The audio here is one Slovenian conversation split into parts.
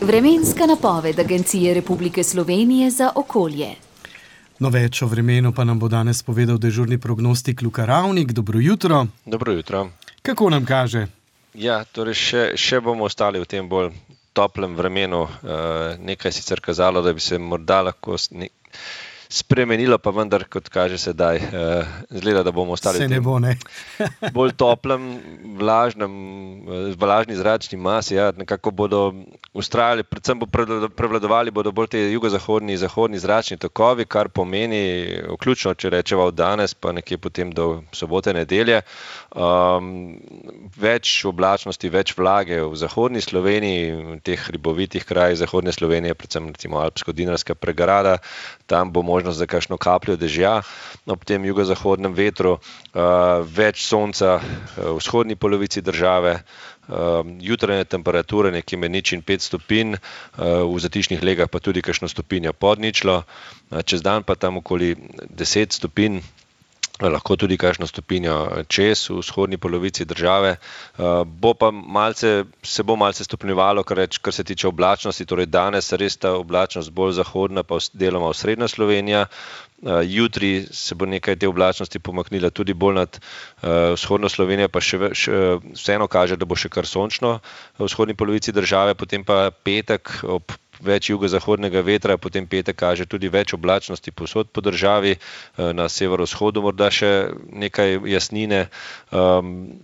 Vremenska napoved Agencije Republike Slovenije za okolje. No, več o vremenu pa nam bo danes povedal dežurni prognostik Luka Ravnik. Dobro jutro. Dobro jutro. Kako nam kaže? Ja, torej še bomo ostali v tem bolj toplem vremenu. Nekaj sicer kazalo, da bi se morda lahko spremenilo, pa vendar, kot kaže sedaj, izgleda, da bomo ostali Se ne bo, ne? bolj toplem, vlažni zračni masi. Ja, nekako bodo ustrajali, predvsem prevladovali bodo bolj te jugozahodni, zahodni zračni tokovi, kar pomeni, vključno, če rečeva od danes, pa nekje potem do sobote, nedelje, več oblačnosti, več vlage v zahodni Sloveniji, v teh hribovitih krajih zahodne Slovenije, predvsem recimo Alpsko-Dinarska pregrada, tam bo možnost za kakšno kapljo dežja, ob tem jugozahodnem vetru, več sonca v vzhodni polovici države, jutranje temperature nekje med 0 in 5 stopinj, v zatišnih legah pa tudi kakšno stopinjo pod ničlo, čez dan pa tam okoli 10 stopinj, lahko tudi kakšno stopinjo čez v vzhodni polovici države. Se bo malce stopnjevalo, kar se tiče oblačnosti, torej danes res ta oblačnost bolj zahodna, pa deloma osrednja Slovenija. Jutri se bo nekaj te oblačnosti pomaknila tudi bolj nad vzhodno Slovenijo, pa še vseeno kaže, da bo še kar sončno v vzhodni polovici države, potem pa petek ob več jugozahodnega vetra, potem petek kaže tudi več oblačnosti povsod po državi, na severovzhodu morda še nekaj jasnine,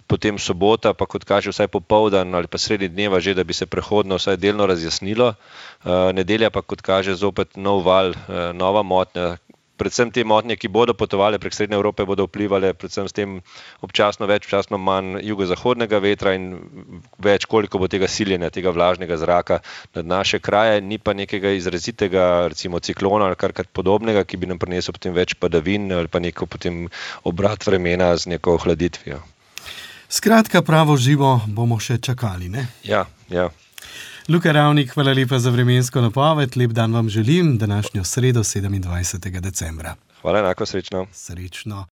potem sobota, pa kot kaže vsaj popoldan ali pa sredi dneva že, da bi se prehodno vsaj delno razjasnilo, nedelja pa kot kaže zopet nov val, nova motnja. Predvsem te motnje, ki bodo potovale prek Srednje Evrope, bodo vplivale predvsem s tem občasno manj jugozahodnega vetra in več, koliko bo tega siljenja, tega vlažnega zraka nad naše kraje, ni pa nekega izrazitega, recimo ciklona ali kar podobnega, ki bi nam prinesel potem več padavin ali pa neko potem obrat vremena z neko ohladitvijo. Skratka, pravo živo bomo še čakali, ne? Ja. Luka Ravnik, hvala lepa za vremensko napoved. Lep dan vam želim, današnjo sredo 27. decembra. Hvala, enako, srečno. Srečno.